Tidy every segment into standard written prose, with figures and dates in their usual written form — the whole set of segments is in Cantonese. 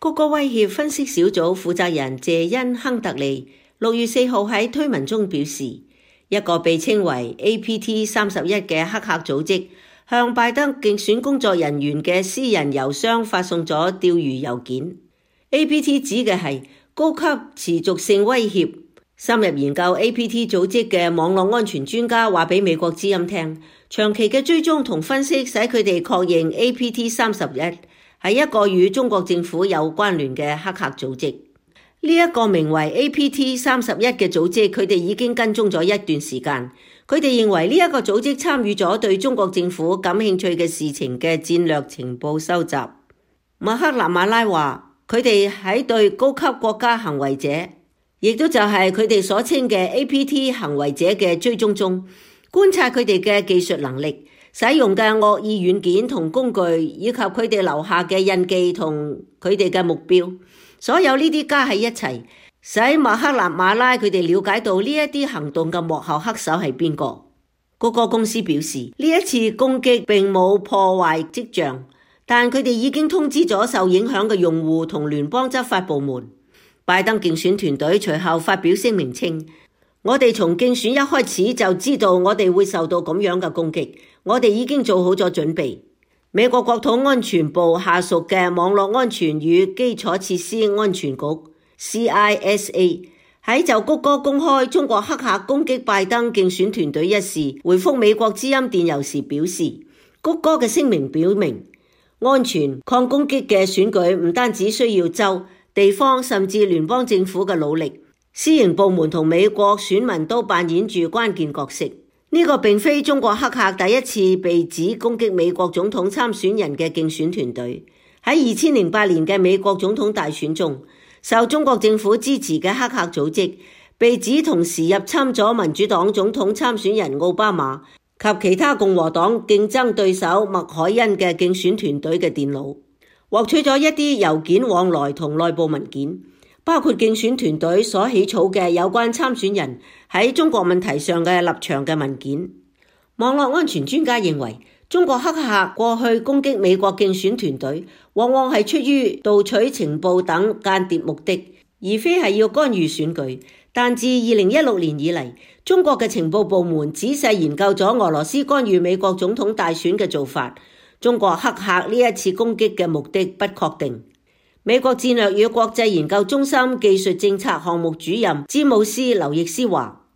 谷歌威脅分析小組負責人謝恩·亨特利6月4號喺推文中表示，一個被稱為 APT31 嘅黑客組織向拜登競選工作人員嘅私人郵箱發送咗釣魚郵件。APT 指嘅係高級持續性威脅。深入研究 APT 組織嘅網絡安全專家話俾美國之音聽，長期嘅追蹤同分析使佢哋確認 APT31 係一個與中國政府有關聯嘅黑客組織。呢一個名為 APT31 嘅組織，佢哋已經跟蹤咗一段時間。佢哋認為呢一個組織參與咗對中國政府感興趣嘅事情嘅戰略情報收集。麥克納馬拉話，佢哋喺對高級國家行為者，亦都就係佢哋所稱嘅 APT 行為者嘅追蹤中，觀察佢哋嘅技術能力、使用嘅惡意軟件同工具，以及佢哋留下嘅印記同佢哋嘅目標。所有呢啲加喺一齊，使麥克納馬拉佢哋了解到呢一啲行動嘅幕後黑手係邊個。谷歌公司表示，呢一次攻擊並冇破壞跡象，但佢哋已經通知咗受影響嘅用戶同聯邦執法部門。拜登競選團隊隨後發表聲明稱，我哋從競選一開始就知道我哋會受到咁樣嘅攻擊，我哋已經做好咗準備。美國國土安全部下屬嘅網絡安全與基礎設施安全局 CISA 喺就谷歌公開中國黑客攻擊拜登競選團隊一事回覆美國之音電郵時表示，谷歌嘅聲明表明，安全抗攻擊嘅選舉唔單止需要州、地方甚至聯邦政府嘅努力，私營部門同美國選民都扮演住關鍵角色。呢個並非中國黑客第一次被指攻擊美國總統參選人嘅競選團隊。喺2008年嘅美國總統大選中，受中國政府支持嘅黑客組織被指同時入侵咗民主黨總統參選人奧巴馬及其他共和黨競爭對手麥凱恩嘅競選團隊嘅電腦，獲取咗一啲郵件往來同內部文件，包括競選團隊所起草嘅有關參選人喺中國問題上嘅立場嘅文件。網絡安全專家認為，中國黑客過去攻擊美國競選團隊，往往係出於盜取情報等間諜目的，而非係要干預選舉。但自2016年以嚟，中國嘅情報部門仔細研究咗俄羅斯干預美國總統大選嘅做法。中國黑客呢一次攻擊嘅目的不確定。美國戰略與國際研究中心技術政策項目主任詹姆斯·劉易斯話，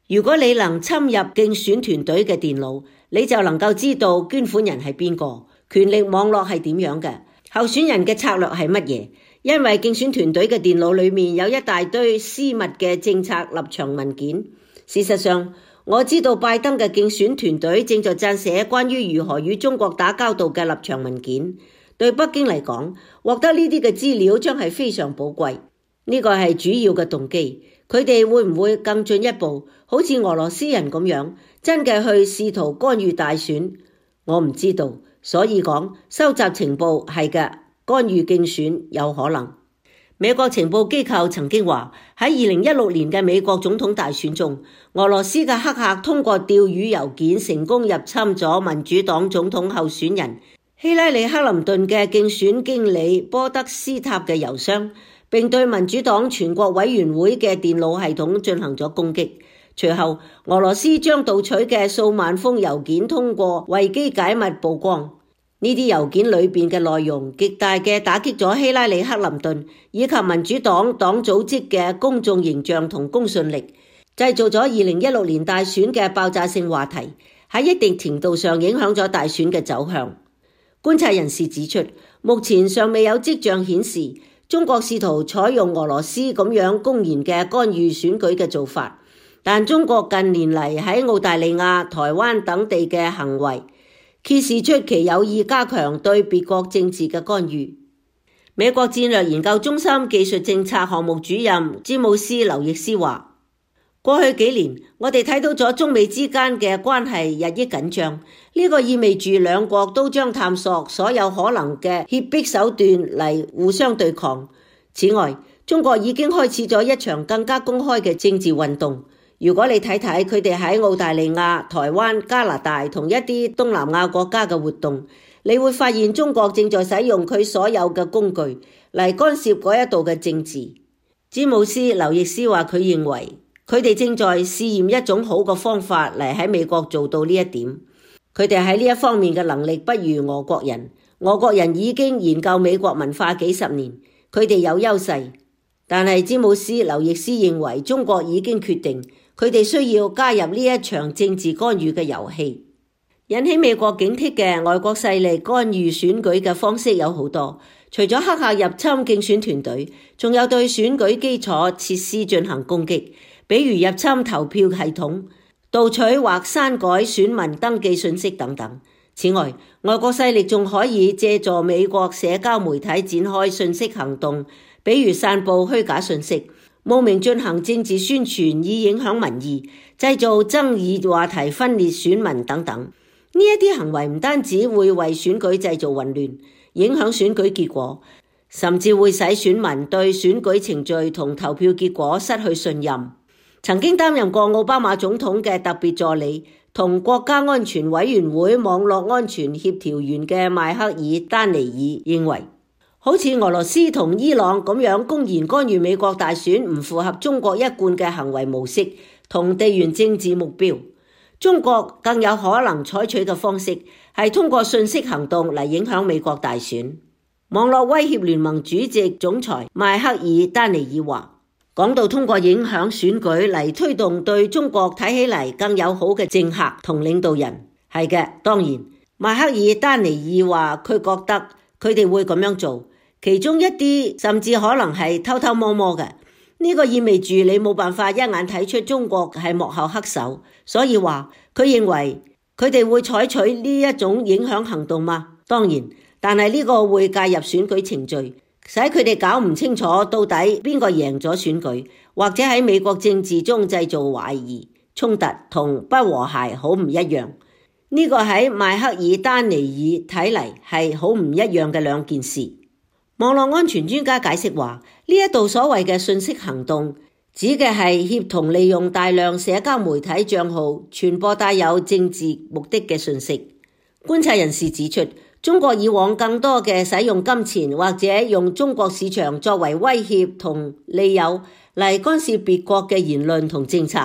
如果你能侵入競選團隊嘅電腦，你就能夠知道捐款人係邊個，權力網絡係點樣嘅，候選人嘅策略係乜嘢。因為競選團隊嘅電腦裏面有一大堆私密嘅政策立場文件。事實上，我知道拜登嘅競選團隊正在撰寫關於如何與中國打交道嘅立場文件。對北京嚟講，獲得呢啲嘅資料將係非常寶貴。呢個係主要嘅動機。佢哋會唔會更進一步，好似俄羅斯人咁樣，真嘅去試圖干預大選？我唔知道。所以講，收集情報係嘅，干預競選有可能。美國情報機構曾經話，喺2016年嘅美國總統大選中，俄羅斯嘅黑客通過釣魚郵件成功入侵咗民主黨總統候選人希拉里·克林頓嘅競選經理波德斯塔嘅郵箱，並對民主黨全國委員會嘅電腦系統進行咗攻擊。隨後，俄羅斯將盜取嘅數萬封郵件通過維基解密曝光。呢啲郵件裏邊嘅內容極大嘅打擊咗希拉里·克林頓以及民主黨黨組織嘅公眾形象同公信力，製造咗2016年大選嘅爆炸性話題，喺一定程度上影響咗大選嘅走向。觀察人士指出，目前尚未有跡象顯示中國試圖採用俄羅斯咁樣公然嘅干預選舉嘅做法，但中國近年嚟喺澳大利亞、台灣等地嘅行為揭示出其有意加強對別國政治嘅干預。美國戰略研究中心技術政策項目主任詹姆斯·劉易斯話，過去幾年，我哋睇到咗中美之間嘅關係日益緊張，呢個意味住兩國都將探索所有可能嘅脅迫手段嚟互相對抗。此外，中國已經開始咗一場更加公開嘅政治運動。如果你睇睇佢哋喺澳大利亞、台灣、加拿大同一啲東南亞國家嘅活動，你會發現中國正在使用佢所有嘅工具嚟干涉嗰一度嘅政治。詹姆斯·劉易斯話佢認為佢哋正在試驗一種好嘅方法嚟喺美國做到呢一點。佢哋喺呢一方面嘅能力不如俄國人。俄國人已經研究美國文化幾十年，佢哋有優勢。但係詹姆斯·劉易斯認為中國已經決定，佢哋需要加入呢一場政治干預嘅遊戲。引起美國警惕嘅外國勢力干預選舉嘅方式有好多，除咗黑客入侵競選團隊，仲有對選舉基礎設施進行攻擊，比如入侵投票系統、盜取或刪改選民登記信息等等。此外，外國勢力仲可以借助美國社交媒體展開信息行動，比如散布虛假信息、冒名進行政治宣傳以影響民意、製造爭議話題分裂選民等等。呢一啲行為唔單止會為選舉製造混亂，影響選舉結果，甚至會使選民對選舉程序同投票結果失去信任。曾經擔任過奧巴馬總統嘅特別助理同國家安全委員會網絡安全協調員嘅邁克爾丹尼爾認為，好似俄羅斯同伊朗咁樣公然干預美國大選唔符合中國一貫嘅行為模式同地緣政治目標。中國更有可能採取嘅方式係通過信息行動嚟影響美國大選。網絡威脅聯盟主席總裁邁克爾丹尼爾話，講到通過影響選舉嚟推動對中國睇起嚟更友好嘅政客同領導人，係嘅，當然，邁克爾丹尼爾話佢覺得佢哋會咁樣做，其中一啲甚至可能係偷偷摸摸嘅。呢個意味住你冇辦法一眼睇出中國係幕後黑手，所以話佢認為佢哋會採取呢一種影響行動嗎？當然，但係呢個會介入選舉程序，使佢哋搞唔清楚到底邊個贏咗選舉，或者喺美國政治中製造懷疑、衝突同不和諧，好唔一樣。呢個喺邁克爾丹尼爾睇嚟係好唔一樣嘅兩件事。網絡安全專家解釋話，呢一度所謂嘅信息行動指嘅係協同利用大量社交媒體賬號傳播帶有政治目的嘅信息。觀察人士指出，中國以往更多嘅使用金錢或者用中國市場作為威脅同利誘嚟干涉別國嘅言論同政策。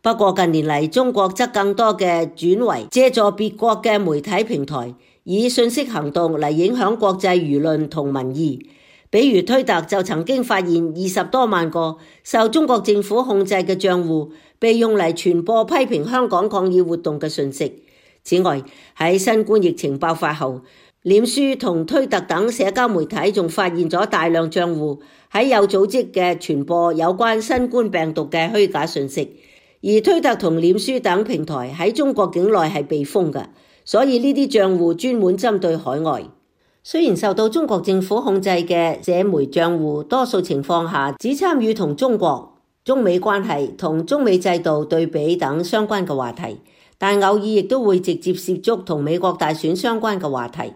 不過近年嚟，中國則更多嘅轉為借助別國嘅媒體平台，以信息行動嚟影響國際輿論同民意。比如推特就曾經發現20多萬個受中國政府控制嘅賬戶被用嚟傳播批評香港抗議活動嘅訊息。此外，喺新冠疫情爆發後，臉書同推特等社交媒體仲發現咗大量賬戶喺有組織嘅傳播有關新冠病毒嘅虛假訊息。而推特同臉書等平台喺中國境內係被封嘅，所以呢啲賬戶專門針對海外。雖然受到中國政府控制嘅社媒賬戶多數情況下只參與同中國、中美關係同中美制度對比等相關嘅話題，但偶爾亦都會直接涉足同美國大選相關嘅話題。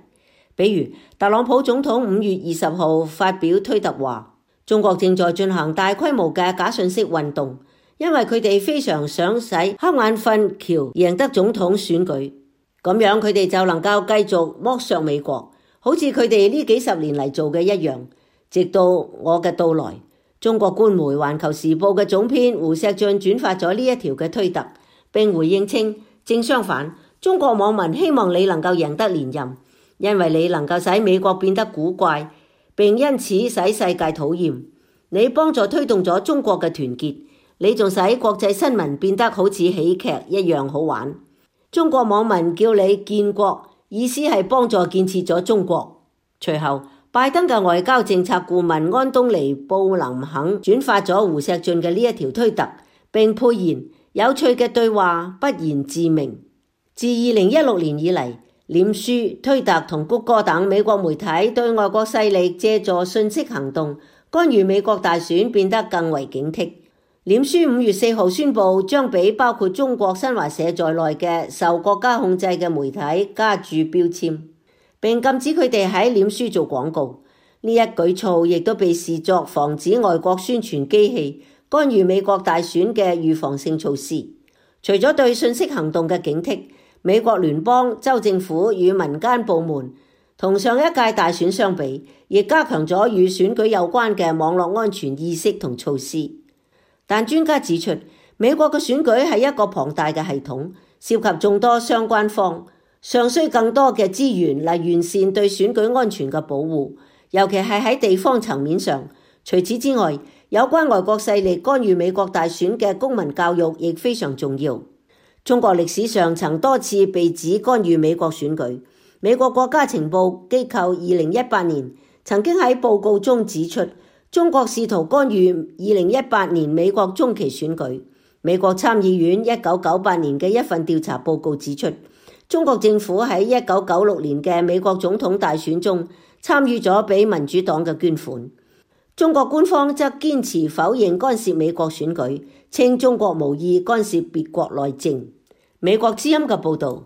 比如特朗普總統5月20號發表推特話，中國正在進行大規模嘅假訊息運動，因為佢哋非常想使黑眼瞓喬贏得總統選舉，咁樣佢哋就能夠繼續剝削美國，好似佢哋呢幾十年嚟做嘅一樣。直到我嘅到來，中國官媒《環球時報》嘅總編胡錫進轉發咗呢一條嘅推特，並回應稱，正相反，中國網民希望你能夠贏得連任，因為你能夠使美國變得古怪，並因此使世界討厭。你幫助推動咗中國嘅團結，你仲使國際新聞變得好似喜劇一樣好玩。中國網民叫你建國，意思係幫助建設咗中國。隨後，拜登嘅外交政策顧問安東尼布林肯轉發咗胡錫進嘅呢一條推特，並配言有趣嘅對話不言自明。自2016年以嚟，臉書、推特同谷歌等美國媒體對外國勢力借助信息行動干預美國大選變得更為警惕。臉書5月4號宣布將俾包括中國新華社在內嘅受國家控制嘅媒體加注標籤，並禁止佢哋喺臉書做廣告。呢一舉措亦都被視作防止外國宣傳機器干預美國大選嘅預防性措施。除咗對信息行動嘅警惕，美國聯邦、州政府與民間部門同上一屆大選相比，亦加強咗與選舉有關嘅網絡安全意識同措施。但專家指出，美國嘅選舉係一個龐大嘅系統，涉及眾多相關方，尚需更多嘅資源嚟完善對選舉安全嘅保護，尤其係喺地方層面上。除此之外，有關外國勢力干預美國大選嘅公民教育亦非常重要。中國歷史上曾多次被指干預美國選舉。美國國家情報機構2018年曾經喺報告中指出，中國試圖干預2018年美國中期選舉。美國參議院1998年嘅一份調查報告指出，中國政府喺1996年嘅美國總統大選中參與咗俾民主黨嘅捐款。中國官方則堅持否認干涉美國選舉，稱中國無意干涉別國內政。美國之音嘅報導。